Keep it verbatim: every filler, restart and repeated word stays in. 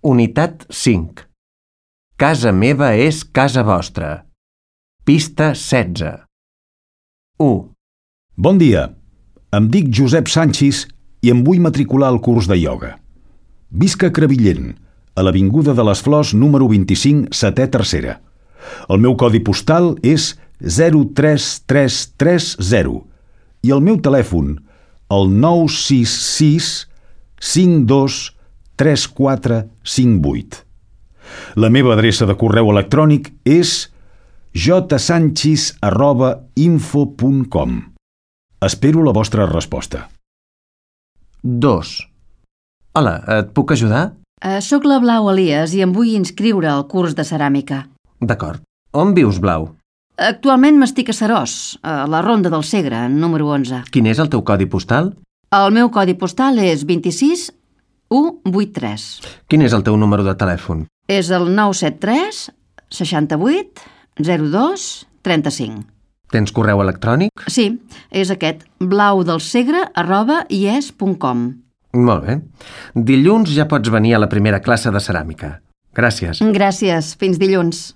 Unitat cinc. Casa meva és casa vostra. Pista setze. u. Bon dia. Em dic Josep Sanchis i em vull matricular al curs de ioga. Visc a Crevillent, a l'Avinguda de les Flors número vint-i-cinc, setè tercera. El meu codi postal és zero tres tres tres zero i el meu telèfon el nou sis sis cinc dos tres quatre cinc vuit. La meva adreça de correu electrònic és jsanchis arroba info punt com. Espero la vostra resposta. dos. Hola, et puc ajudar? Uh, soc la Blau Elias i em vull inscriure al curs de ceràmica. D'acord. On vius, Blau? Actualment m'estic a Seròs, a la Ronda del Segre, número onze. Quin és el teu codi postal? El meu codi postal és vint-i-sis u vuitanta-tres. Quin és el teu número de telèfon? És el nou set tres seixanta-vuit zero dos trenta-cinc. Tens correu electrònic? Sí, és aquest, blaudelsegre arroba ies punt com. Molt bé. Dilluns ja pots venir a la primera classe de ceràmica. Gràcies. Gràcies, fins dilluns.